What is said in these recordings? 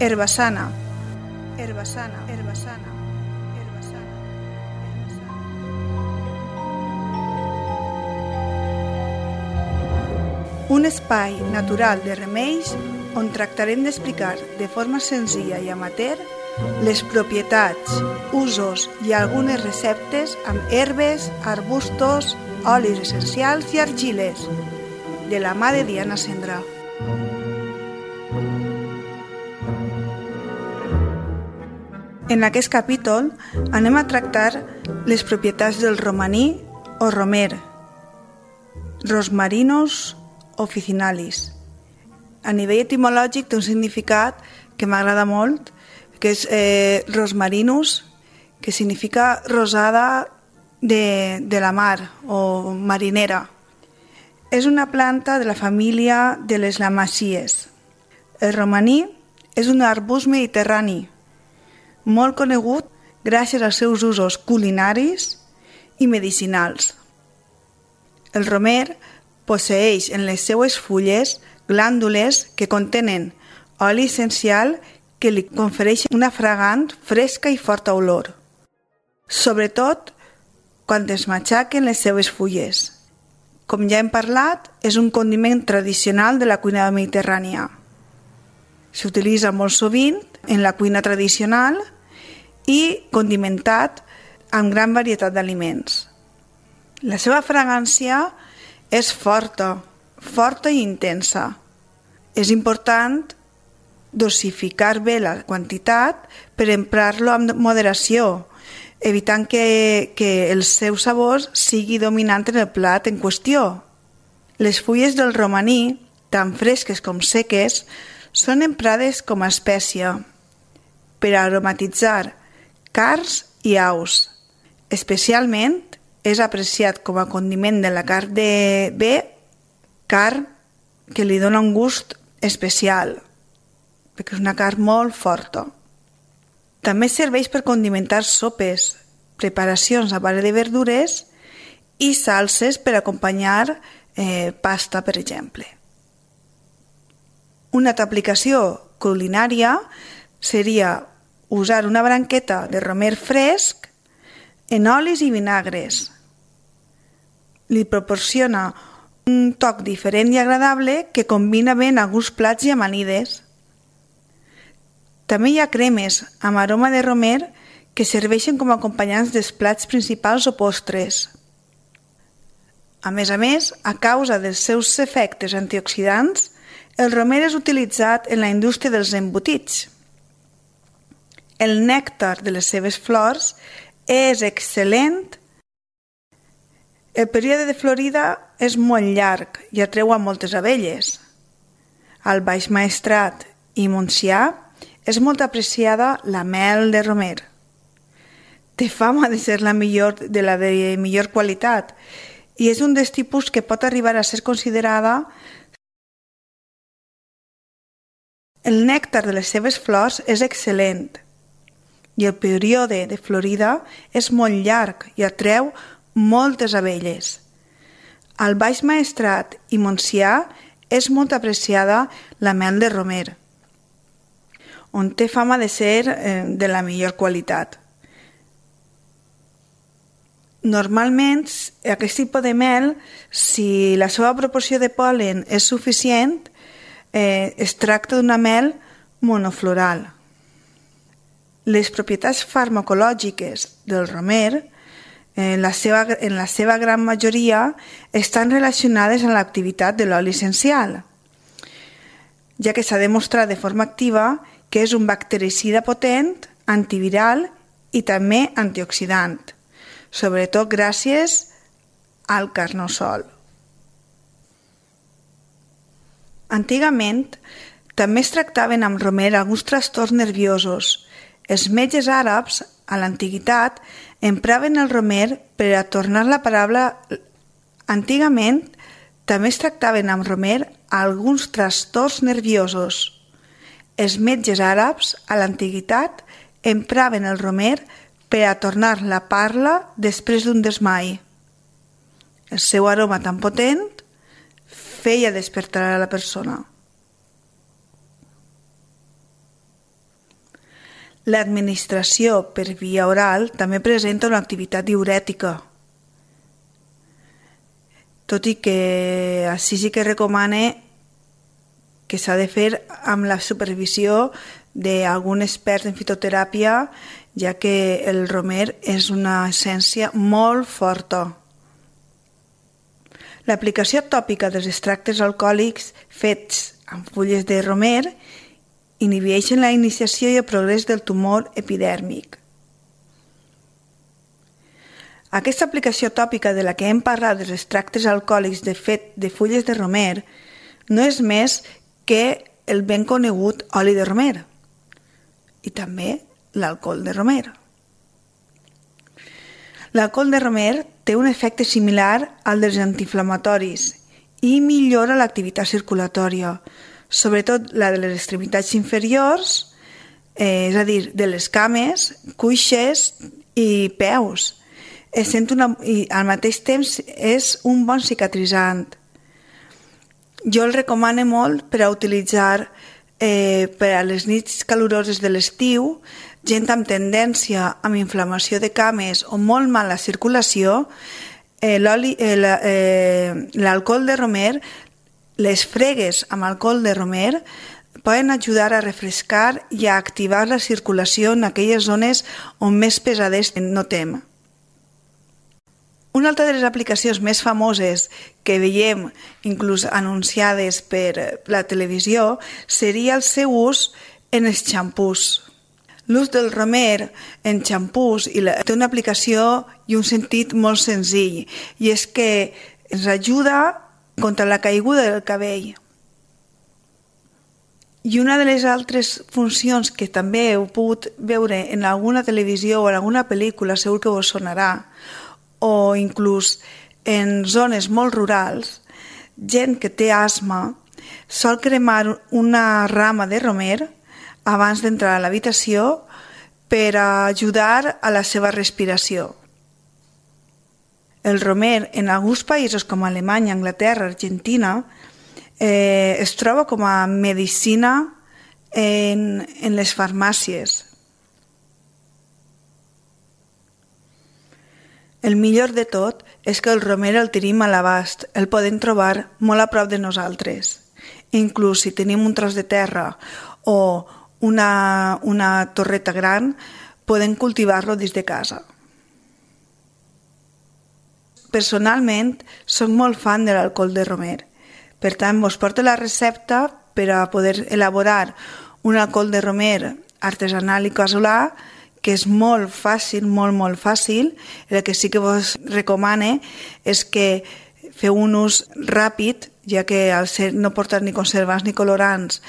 Herbassana, herbassana, herbassana, herbassana, herbassana. Un espai natural de remeis on tractarem d'explicar de forma senzilla i amateur les propietats, usos i algunes receptes amb herbes, arbustos, olis essencials i argiles, de la mà de Diana Cendrà. En aquest capítol anem a tractar les propietats del romaní o romer, Rosmarinus officinalis. A nivell etimològic té un significat que m'agrada molt, que és rosmarinus, que significa rosada de la mar o marinera. És una planta de la família de les lamàcies. El romaní és un arbust mediterrani, molt conegut gràcies als seus usos culinaris i medicinals. El romer posseeix en les seues fulles glàndules que contenen oli essencial que li confereix una fragant, fresca i forta olor, sobretot quan es matxaquen les seues fulles. Com ja hem parlat, és un condiment tradicional de la cuina mediterrània. S'utilitza molt sovint en la cuina tradicional i condimentat amb gran varietat d'aliments. La seva fragància és forta i intensa. És important dosificar bé la quantitat per emprar-lo amb moderació, evitant que el seu sabor sigui dominant en el plat en qüestió. Les fulles del romaní, tant fresques com seques, són emprades com a espècia per aromatitzar carns i aus. Especialment és apreciat com a condiment de la carn de bé, carn que li dona un gust especial, perquè és una carn molt forta. També serveix per condimentar sopes, preparacions a base de verdures i salses per acompanyar pasta, per exemple. Una altra aplicació culinària seria usar una branqueta de romer fresc en olis i vinagres. Li proporciona un toc diferent i agradable que combina bé en alguns plats i amanides. També hi ha cremes amb aroma de romer que serveixen com a acompanyants dels plats principals o postres. A més, a causa dels seus efectes antioxidants, el romer és utilitzat en la indústria dels embotits. El nèctar de les seves flors és excel·lent. El període de florida és molt llarg i atreu a moltes abelles. Al Baix Maestrat i Montsià és molt apreciada la mel de romer. Té fama de ser la de millor qualitat i és un dels tipus que pot arribar a ser considerada. El nèctar de les seves flors és excel·lent i el període de florida és molt llarg i atreu moltes abelles. Al Baix Maestrat i Montsià és molt apreciada la mel de romer, on té fama de ser de la millor qualitat. Normalment, aquest tipus de mel, si la seva proporció de pol·len és suficient, es tracta d'una mel monofloral. Les propietats farmacològiques del romer, en la seva gran majoria, estan relacionades amb l'activitat de l'oli essencial, ja que s'ha demostrat de forma activa que és un bactericida potent, antiviral i també antioxidant, sobretot gràcies al carnosol. Antigament, també es tractaven amb romer alguns trastorns nerviosos. Els metges àrabs, a l'antiguitat, empraven el romer per a tornar la paraula. Antigament, també es tractaven amb romer alguns trastorns nerviosos. Els metges àrabs, a l'antiguitat, empraven el romer per a tornar la parla després d'un desmai. El seu aroma tan potent feia despertar a la persona. L'administració per via oral també presenta una activitat diürètica, tot i que així sí que recomana que s'ha de fer amb la supervisió d'algun expert en fitoteràpia, ja que el romer és una essència molt forta. L'aplicació tòpica dels extractes alcohòlics fets amb fulles de romer inhibeixen la iniciació i el progrés del tumor epidèrmic. Aquesta aplicació tòpica de la que hem parlat dels extractes alcohòlics de fulles de romer no és més que el ben conegut oli de romer i també l'alcohol de romer. L'alcohol de romer té un efecte similar al dels antiinflamatoris i millora l'activitat circulatòria, sobretot la de les extremitats inferiors, és a dir, de les cames, cuixes i peus. I al mateix temps és un bon cicatritzant. Jo el recomano molt per a utilitzar per a les nits caloroses de l'estiu, gent amb tendència amb inflamació de cames o molt mala circulació, l'alcohol de romer, les fregues amb alcohol de romer poden ajudar a refrescar i a activar la circulació en aquelles zones on més pesades notem. Una altra de les aplicacions més famoses que veiem inclús anunciades per la televisió seria el seu ús en els xampús. L'ús del romer en xampús té una aplicació i un sentit molt senzill, i és que ens ajuda contra la caiguda del cabell. I una de les altres funcions que també heu pogut veure en alguna televisió o en alguna pel·lícula, segur que vos sonarà, o inclús en zones molt rurals, gent que té asma sol cremar una rama de romer abans d'entrar a l'habitació per ajudar a la seva respiració. El romer en alguns països com Alemanya, Anglaterra, Argentina es troba com a medicina en les farmàcies. El millor de tot és que el romer el tenim a l'abast, el podem trobar molt a prop de nosaltres. Inclús si tenim un tros de terra o una torreta gran, podem cultivar-lo des de casa. Personalment, soc molt fan de l'alcohol de romer. Per tant, vos porto la recepta per a poder elaborar un alcohol de romer artesanal i casolà, que és molt fàcil, molt fàcil. El que sí que vos recomane és que feu un ús ràpid, ja que al no portar ni conservants ni colorants,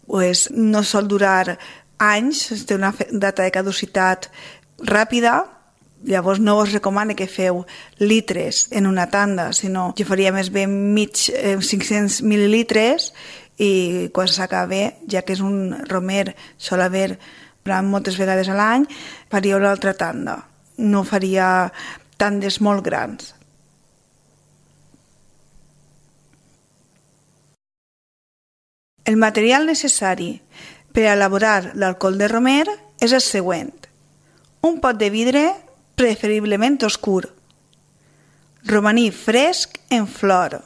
pues no sol durar anys, té una data de caducitat ràpida. Llavors no vos recomane que feu litres en una tanda, sinó jo faria més bé 500 mil·lilitres i quan s'acabe, ja que és un romer, sol haver moltes vegades a l'any, faria una altra tanda. No faria tandes molt grans. El material necessari per a elaborar l'alcohol de romer és el següent. Un pot de vidre, preferiblement oscur, romaní fresc en flor,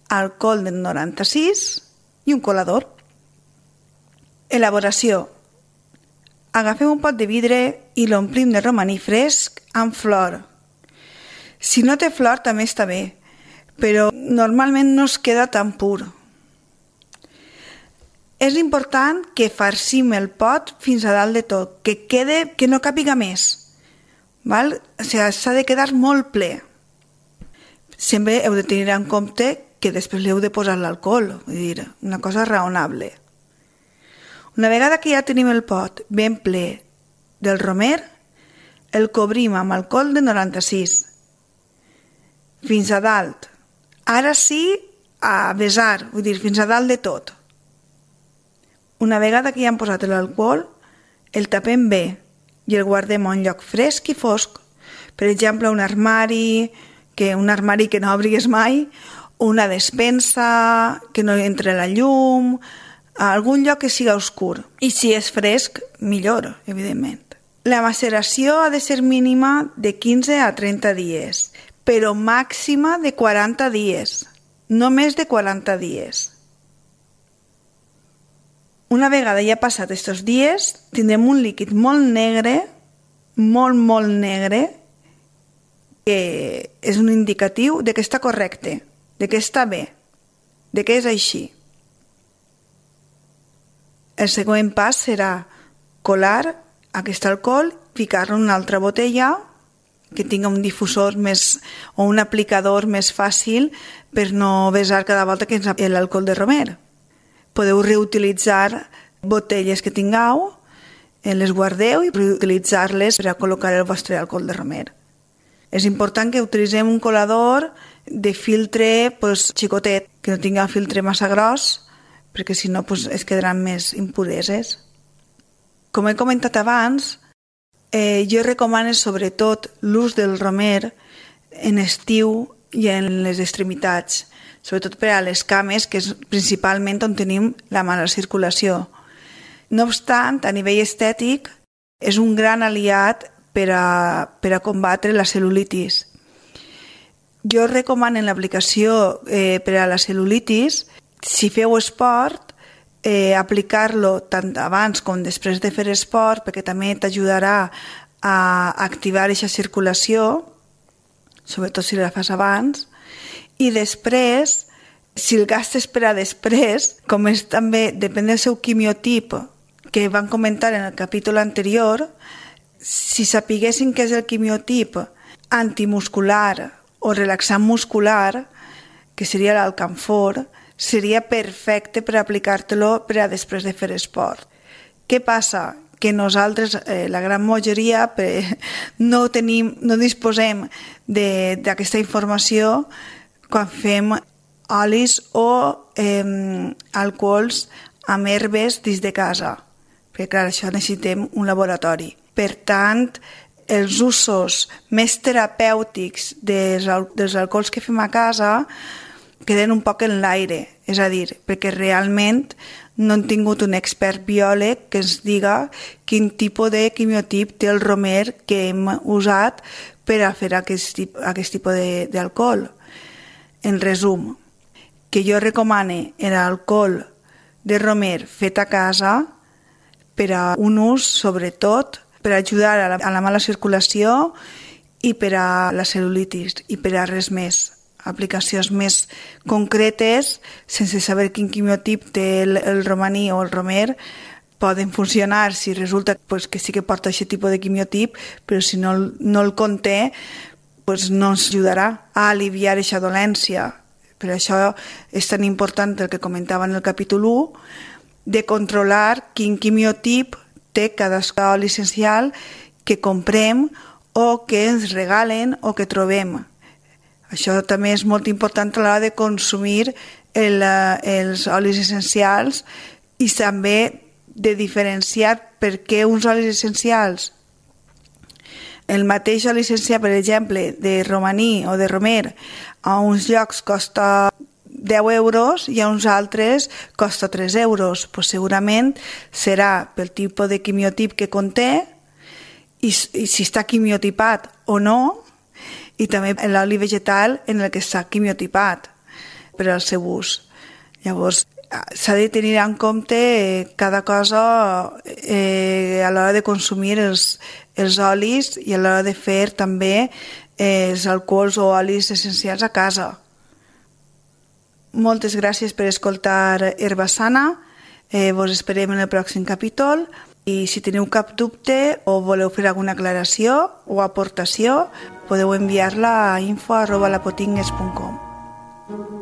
alcohol del 96 i un colador. Elaboració. Agafem un pot de vidre i l'omplim de romaní fresc amb flor. Si no té flor també està bé, però normalment no es queda tan pur. És important que farcim el pot fins a dalt de tot, que no càpiga més. Val? O sigui, s'ha de quedar molt ple. Sempre heu de tenir en compte que després li heu de posar l'alcohol, vull dir, una cosa raonable. Una vegada que ja tenim el pot ben ple del romer, el cobrim amb alcohol de 96 fins a dalt. Ara sí, a vessar, vull dir, fins a dalt de tot. Una vegada que ja hem posat l'alcohol, el tapem bé i el guardem a un lloc fresc i fosc. Per exemple, un armari que no obrigues mai, una despensa que no entre la llum, a algun lloc que siga oscur. I si és fresc, millor, evidentment. La maceració ha de ser mínima de 15 a 30 dies, però màxima de 40 dies, no més de 40 dies. Una vegada ja passat aquests dies, tindrem un líquid molt negre, molt negre, que és un indicatiu de que està correcte, de que està bé, de que és així. El següent pas serà colar aquest alcohol, ficar-lo en una altra botella que tinga un difusor més o un aplicador més fàcil per no vessar cada volta que ens l'alcohol de romer. Podeu reutilitzar botelles que tingueu, les guardeu i reutilitzar-les per a col·locar el vostre alcohol de romer. És important que utilitzem un colador de filtre xicotet, que no tingui un filtre massa gros, perquè si no es quedaran més impureses. Com he comentat abans, jo recomano sobretot l'ús del romer en estiu i en les extremitats, sobretot per a les cames, que és principalment on tenim la mala circulació. No obstant, a nivell estètic, és un gran aliat per a combatre la cel·lulitis. Jo recomano en l'aplicació per a la cel·lulitis, si feu esport, aplicar-lo tant abans com després de fer esport, perquè també t'ajudarà a activar aquesta circulació, sobretot si la fas abans, i després, si el gastes per a després, com és també, depèn del seu quimiotip, que van comentar en el capítol anterior, si sapiguessin què és el quimiotip antimuscular o relaxant muscular, que seria l'alcanfor, seria perfecte per aplicar-te-lo per a després de fer esport. Què passa? Que nosaltres, la gran majoria, no disposem d'aquesta informació quan fem olis o alcohols amb herbes dins de casa, perquè clar, això necessitem un laboratori. Per tant, els usos més terapèutics dels alcohols que fem a casa queden un poc en l'aire, és a dir, perquè realment no hem tingut un expert biòleg que ens diga quin tipus de quimiotip té el romer que hem usat per a fer aquest tipus d'alcohol. En resum, que jo recomane l'alcohol de romer fet a casa per a un ús, sobretot, per ajudar a la mala circulació i per a la cel·lulitis i per a res més. Aplicacions més concretes, sense saber quin quimiotip té el romaní o el romer, poden funcionar si resulta que sí que porta aquest tipus de quimiotip, però si no el conté, no ens ajudarà a aliviar aquesta dolència. Per això és tan important el que comentava en el capítol 1, de controlar quin quimiotip té cada oli essencial que comprem o que ens regalen o que trobem. Això també és molt important a l'hora de consumir els olis essencials i també de diferenciar per què uns olis essencials. El mateix oli essencial, per exemple, de romaní o de romer, a uns llocs costa 10 euros i a uns altres costa 3 euros. Segurament serà pel tipus de quimiotip que conté i si està quimiotipat o no, i també l'oli vegetal en el que està quimiotipat per al seu ús. Llavors, s'ha de tenir en compte cada cosa a l'hora de consumir els olis i a l'hora de fer també els alcohols o olis essencials a casa. Moltes gràcies per escoltar Herba Sana. Vos esperem en el pròxim capítol. I si teniu cap dubte o voleu fer alguna aclaració o aportació, podeu enviar-la a info@lapotingues.com.